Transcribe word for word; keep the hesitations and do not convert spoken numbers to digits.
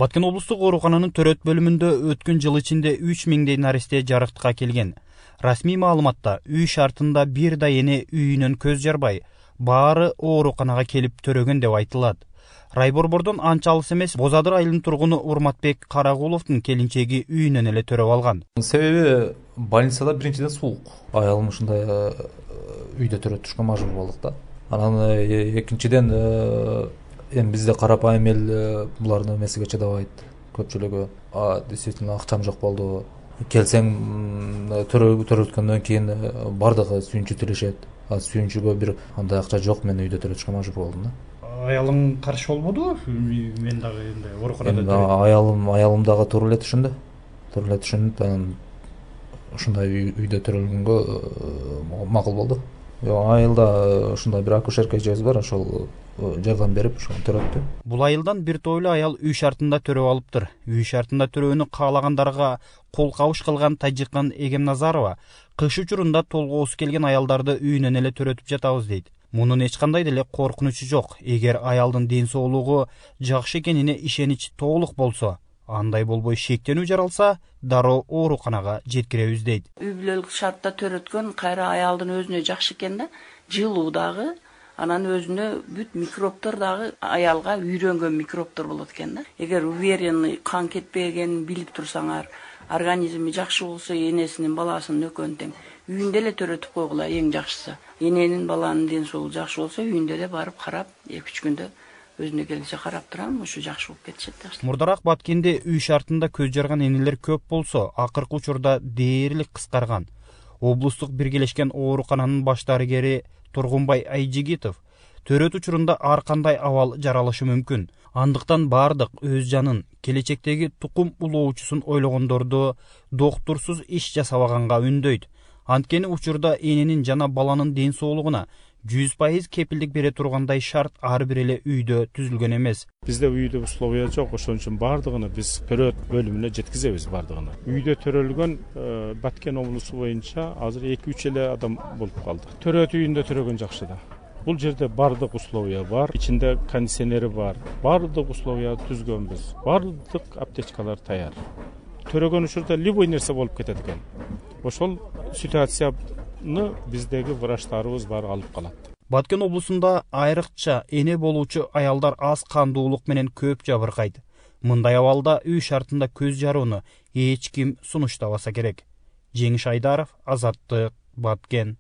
Баткен облустук оорукананын төрөт бөлүмүндө өткөн жыл ичинде үч миңдей наристе жарыктыкка келген. Расмий маалыматта үй шартында бир да эне үйүнөн көз жарбай, баары ооруканага келип төрөгөн деп айтылат. Райборбордон анча алыс эмес Боз Адыр айылынын тургуну Урматбек Карагуловдун келинчеги үйүнөн эле төрөп алган. Себеби больницада биринчиден суук. Аялым ушундай үйдө төрөтүшкө мажбур болдук да. Анан экинчиден эми бизде карапайым эл булардын эмесиге чыдабайт. Көпчүлүгү действительно акчам жок болду. Келсең төрөткөндөн кийин бардыгы сүйүнчү тилешет. А сүйүнчүгө бир андай акча жок, мен үйдө төрөтүшкө мажбур болдум да. Аялың каршы болбодубу? Мен дагы энди ооруканада төрөйм. Аялым аялым дагы туура эле түшүндү. Туура эле түшүнүп, анан ушундай үйдө төрөлгөнгө макул болду. Айылда ушундай бир акушерка эжебиз бар, ошол жардам берип ошону төрөттү. Бул айылдан бир тойлуу аял үй шартында төрөп алыптыр. Үй шартында төрөөнү каалагандарга кол кабыш кылган Тажикан Эгемназарова кыш учурунда толгоосу келген аялдарды үйүнөн эле төрөтүп жатабыз дейт. Мунун эч кандай деле коркунучу жок. Эгер аялдын ден соолугу жакшы экенине ишенич толук болсо, андай болбой шектенүү жаралса, дароо ооруканага жеткиребиз дейт. Үй бүлөлүк шартта төрөткөн кайра аялдын өзүнө жакшы экен да, жылуу дагы, анан өзүнө бүт микробтор дагы аялга үйрөнгөн микробтор болот экен да. Эгер уверенный кан кетпегенин билип турсаңар, организми жакшы болсо, энесинин баласынын экөөнү тең үйүндө эле төрөтүп койгула, эң жакшысы. Эненин баланын ден соолугу жакшы болсо, үйүндө эле барып карап, эки үч күндө өзүнө келише карап турам, ушу жакшы болуп кетишет да. Мурдараак Баткенде үй шартында көз жарган энелер көп болсо, акыркы учурда дээрлик кыскарган. Облустук биргелешкен оорукананын баш дарыгери Тургунбай Айжигитов төрөт учурунда ар кандай абал жаралышы мүмкүн. Андыктан бардык өз жанын, келечектеги тукум улоочусун ойлогондорду доктурсуз иш жасабаганга үндөйт. Анткени учурда эненин жана баланын ден соолугуна жүз пайыз кепилдик бере тургандай шарт ар бир эле үйдө түзүлгөн эмес. Бизде үйдө условия жок, ошон үчүн бардыгын биз төрөт бөлүмүнө жеткизебиз бардыгын. Үйдө төрөлгөн Баткен облусу боюнча азыр эки үч эле адам болуп калды. Төрөт үйүндө төрөгөн жакшы да. Бул жерде бардык условия бар, ичинде кондиционери бар. Бардык условия түзгөнбүз. Бардык аптечкалар даяр. Төрөгөн учурда любой нерсе болуп кетет экен. Ошол ситуацияны биздеги врачтарыбыз бар алып калат. Баткен облусунда айрыкча эне болуучу аялдар аз кандуулук менен көп жабыркайт. Мындай абалда үй шартында көз жарууну эч ким сунуштабаса керек. Жеңиш Айдаров, Азаттык, Баткен.